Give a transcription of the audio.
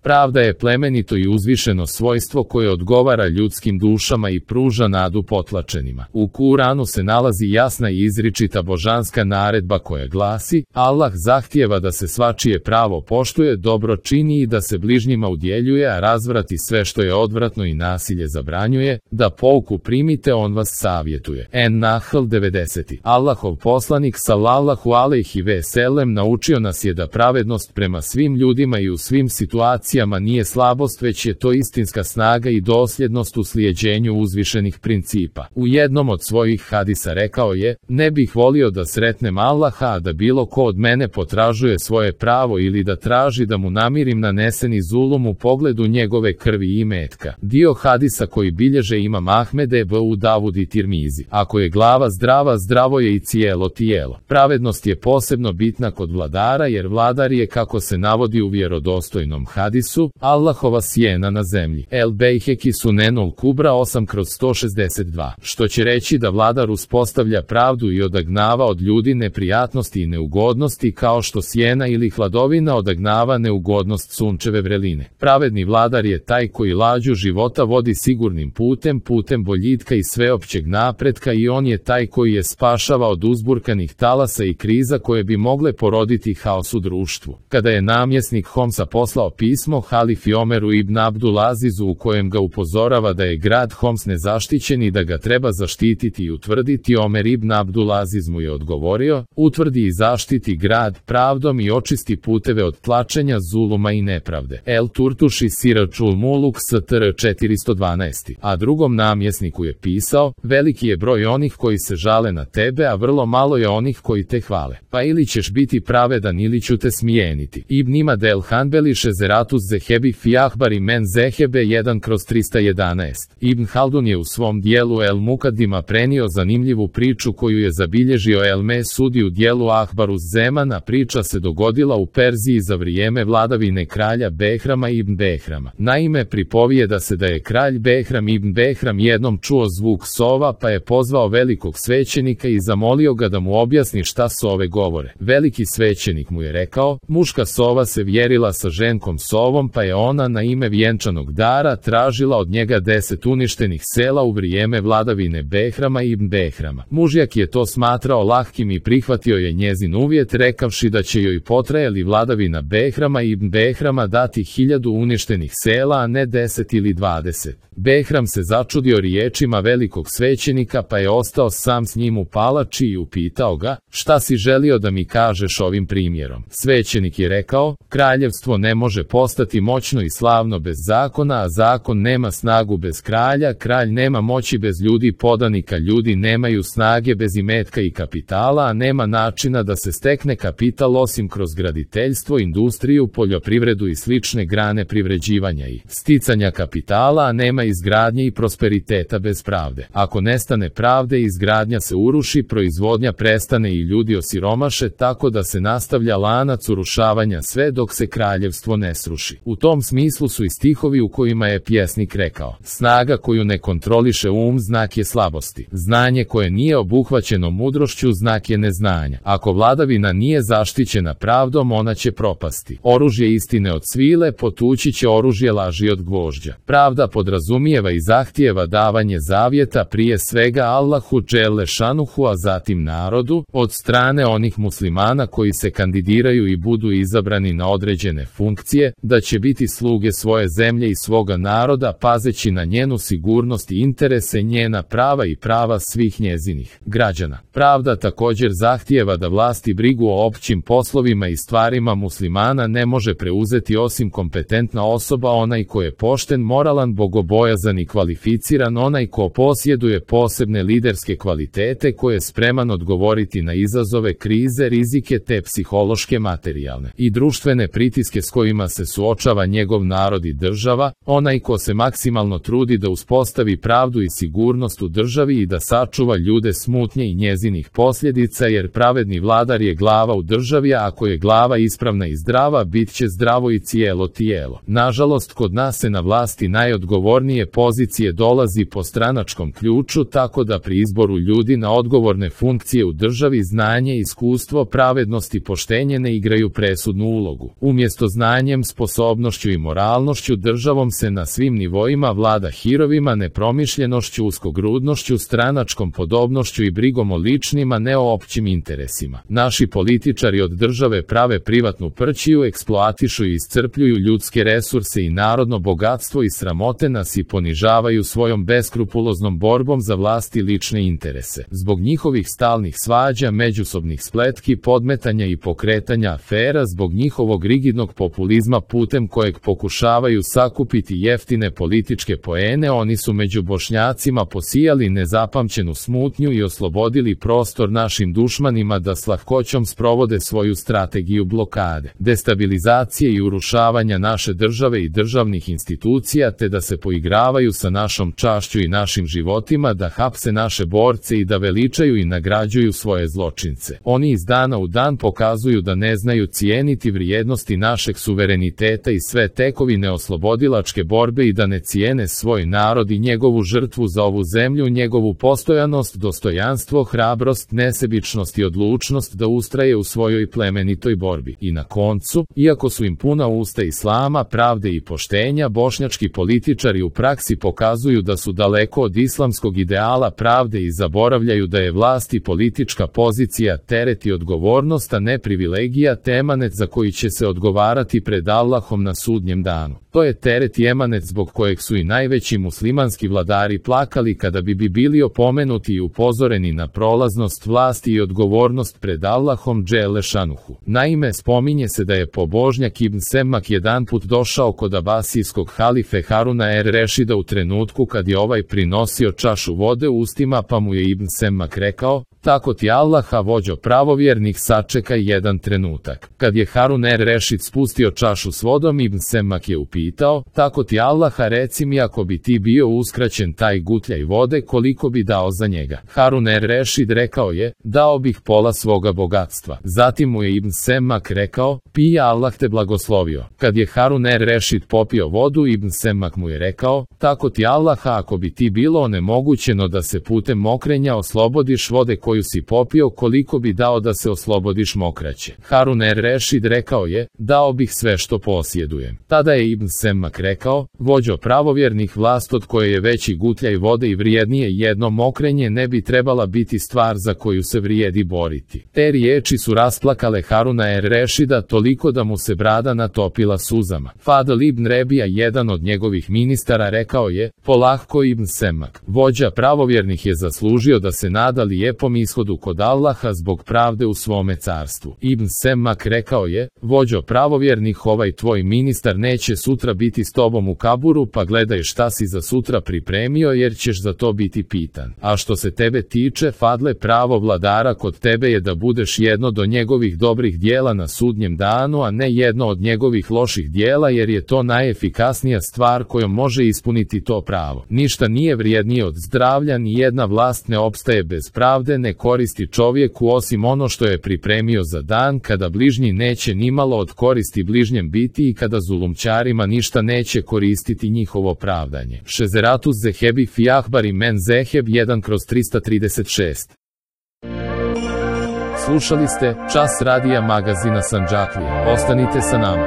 Pravda je plemenito i uzvišeno svojstvo koje odgovara ljudskim dušama i pruža nadu potlačenima. U Kuranu se nalazi jasna i izričita božanska naredba koja glasi: Allah zahtijeva da se svačije pravo poštuje, dobro čini i da se bližnjima udjeljuje, a razvrati sve što je odvratno i nasilje zabranjuje, da pouku primite, on vas savjetuje. En-Nahl 90. Allahov poslanik sallallahu alejhi ve sellem naučio nas je da pravednost prema svim ljudima i u svim situacijama nije slabost, već je to istinska snaga i dosljednost u slijeđenju uzvišenih principa. U jednom od svojih hadisa rekao je: ne bih volio da sretnem Allaha, a da bilo ko od mene potražuje svoje pravo ili da traži da mu namirim naneseni zulum u pogledu njegove krvi i imetka. Dio hadisa koji bilježe Imam Ahmed, Ebu Davud i Tirmizi. Ako je glava zdrava, zdravo je i cijelo tijelo. Pravednost je posebno bitna kod vladara, jer vladar je, kako se navodi u vjerodostojnom hadisu, Allahova sjena na zemlji. El Bejheki Sunenul Kubra 8/162. Što će reći da vladar uspostavlja pravdu i odagnava od ljudi neprijatnosti i neugodnosti, kao što sjena ili hladovina odagnava neugodnost sunčeve vreline. Pravedni vladar je taj koji lađu života vodi sigurnim putem, putem boljitka i sveopćeg napretka, i on je taj koji je spašava od uzburkanih talasa i kriza koje bi mogle poroditi haos u društvu. Kada je namjesnik Homsa poslao pismo halifi Omeru ibn Abdulazizu u kojem ga upozorava da je grad Homs nezaštićen i da ga treba zaštititi i utvrditi, Omer ibn Abdulaziz mu je odgovorio: utvrdi i zaštiti grad pravdom i očisti puteve od tlačenja, zuluma i nepravde. El Turtuši Siračul Muluk Str 412. A drugom namjesniku je pisao: veliki je broj onih koji se žale na tebe, a vrlo malo je onih koji te hvale. Pa ili ćeš biti pravedan ili ću te smijeniti. Ibn Imad el Hanbeli Šezeratus Zehebi fi Ahbari men Zehebe 1/311. Ibn Haldun je u svom dijelu El Mukadima prenio zanimljivu priču koju je zabilježio El Mesudi u dijelu Ahbarus Zemana. Priča se dogodila u Perziji za vrijeme vladavine kralja Behrama ibn Behrama. Naime, pripovijeda se da je kralj Behram ibn Behram jednom čuo zvuk sova, pa je pozvao velikog svećenika i zamolio ga da mu objasni šta sove govore. Veliki svećenik mu je rekao: muška sova se vjerila sa ženkom sovom, pa je ona na ime vjenčanog dara tražila od njega 10 uništenih sela u vrijeme vladavine Behrama ibn Behrama. Mužjak je to smatrao lahkim i prihvatio je njezin uvjet, rekavši da će joj potrajali vladavina Behrama ibn Behrama dati 1000 uništenih sela, a ne 10 ili 20. Behram se začudio riječima velikog svećenika, pa je ostao sam s njim u palači i upitao ga: šta si želio da mi kažeš ovim primjerom? Svećenik je rekao: kraljevstvo ne može postati moćno i slavno bez zakona, a zakon nema snagu bez kralja, kralj nema moći bez ljudi podanika, ljudi nemaju snage bez imetka i kapitala, a nema načina da se stekne kapital osim kroz graditeljstvo, industriju, poljoprivredu i slične grane privređivanja i sticanja kapitala, a nema izgradnje i prosperiteta bez pravde. Ako nestane pravde, izgradnja se uruši, proizvodnja prestane i ljudi osiromaše, tako da se nastavlja lanac urušavanja sve dok se kraljevstvo ne sruši. U tom smislu su i stihovi u kojima je pjesnik rekao: snaga koju ne kontroliše znak je slabosti. Znanje koje nije obuhvaćeno mudrošću znak je neznanja. Ako vladavina nije zaštićena pravdom, ona će propasti. Oružje istine od svile potući će oružje laži od gvožđa. Pravda podrazumijeva i zahtijeva davanje zavjeta prije svega Allahu dželle šanuhu, a zatim narodu, od strane onih muslimana koji se kandidiraju i budu izabrani na određene funkcije, da će biti sluge svoje zemlje i svoga naroda, pazeći na njenu sigurnost i interese, njena prava i prava svih njezinih građana. Pravda također zahtijeva da vlasti brigu o općim poslovima i stvarima muslimana ne može preuzeti osim kompetentna osoba, onaj ko je pošten, moralan, bogobojazan i kvalificiran, onaj ko posjeduje posebne liderske kvalitete, ko je spreman odgovoriti na izazove, krize, rizike te psihološke, materijalne i društvene pritiske s kojima se suočava njegov narod i država, onaj ko se maksimalno trudi da uspostavi pravdu i sigurnost u državi i da sačuva ljude smutnje i njezinih posljedica, jer pravedni vladar je glava u državi, a ako je glava ispravna i zdrava, bit će zdravo i cijelo tijelo. Nažalost, kod nas se na vlasti najodgovornije pozicije dolazi po stranačkom ključu, tako da pri izboru ljudi na odgovorne funkcije u državi znanje, iskustvo, pravednost i poštenje ne igraju presudnu ulogu. Umjesto znanjem, sposobnošću sposobnošću i moralnošću, državom se na svim nivoima vlada hirovima, nepromišljenošću, uskogrudnošću, stranačkom podobnošću i brigom o ličnim, a ne o općim interesima. Naši političari od države prave privatnu prćiju, eksploatišu i iscrpljuju ljudske resurse i narodno bogatstvo i sramote nas i ponižavaju svojom beskrupuloznom borbom za vlast i lične interese. Zbog njihovih stalnih svađa, međusobnih spletki, podmetanja i pokretanja afera, zbog njihovog rigidnog populizma putem kojeg pokušavaju sakupiti jeftine političke poene, oni su među Bošnjacima posijali nezapamćenu smutnju i oslobodili prostor našim dušmanima da s lahkoćom sprovode svoju strategiju blokade, destabilizacije i urušavanja naše države i državnih institucija, te da se poigravaju sa našom čašću i našim životima, da hapse naše borce i da veličaju i nagrađuju svoje zločince. Oni iz dana u dan pokazuju da ne znaju cijeniti vrijednosti našeg suvereniteta i sve tekovine oslobodilačke borbe i da ne cijene svoj narod i njegovu žrtvu za ovu zemlju, njegovu postojanost, dostojanstvo, hrabrost, nesebičnost i odlučnost da ustraje u svojoj plemenitoj borbi. I na koncu, iako su im puna usta islama, pravde i poštenja, bošnjački političari u praksi pokazuju da su daleko od islamskog ideala pravde i zaboravljaju da je vlast i politička pozicija teret i odgovornost, a ne privilegija, te emanet za koji će se odgovarati pred Allahom na sudnjem danu. To je teret i emanet zbog kojeg su i najveći muslimanski vladari plakali kada bi bili opomenuti i upozoreni na prolaznost vlasti i odgovornost pred Allahom dželle šanuhu. Naime, spominje se da je pobožnjak Ibn Semmak jedanput došao kod abasijskog halife Haruna Rešida u trenutku kad je ovaj prinosio čašu vode u ustima, pa mu je Ibn Semmak rekao: "Tako ti Allaha, vođo pravovjernih, sačekaj jedan trenutak." Kad je Harun Rešid spustio čašu s vodom, Ibn Semmak je upitao: "Tako ti Allaha, reci mi, ako bi ti bio uskraćen taj gutljaj vode, koliko bi dao za njega?" Harun Rešid rekao je: "Dao bih pola svoga bogatstva." Zatim mu je Ibn Semmak rekao: "Pij, Allah te blagoslovio." Kad je Harun Rešid popio vodu, Ibn Semmak mu je rekao: "Tako ti Allaha, ako bi ti bilo onemogućeno da se putem mokrenja oslobodiš vode koju si popio, koliko bi dao da se oslobodiš mokraće?" Harun Rešid rekao je: "Dao bih sve što posjedujem." Tada je Ibn Semmak rekao: "Vođo pravovjernih, vlast od koje je veći gutljaj vode i vrijednije jedno mokrenje ne bi trebala biti stvar za koju se vrijedi boriti." Te riječi su rasplakale Haruna Rešida toliko da mu se brada natopila suzama. Fadl ibn Rebija, jedan od njegovih ministara, rekao je: "Polahko, Ibn Semmak, vođa pravovjernih je zaslužio da se nada lijepom ishodu kod Allaha zbog pravde u svome carstvu." Ibn Semmak rekao je: "Vođo pravovjernih, ovaj tvoj ministar neće sutra biti s tobom u kaburu, pa gledaj šta si za sutra pripremio, jer ćeš za to biti pitan. A što se tebe tiče, Fadle, pravo vladara kod tebe je da budeš jedno do njegovih dobrih dijela na sudnjem danu, a ne jedno od njegovih loših dijela, jer je to najefikasnija stvar kojom može ispuniti to pravo. Ništa nije vrijednije od zdravlja, ni jedna vlast ne opstaje bez pravde, ne koristi čovjeku osim ono što je pripremio za dan kada bližnji neće nimalo od koristi bližnjem biti i kada zulumčarima ništa neće koristiti njihovo pravdanje." Šezeratus Zehebi fi Ahbari men Zeheb 1/336. Slušali ste Čas radija magazina Sandžaklija. Ostanite sa nama.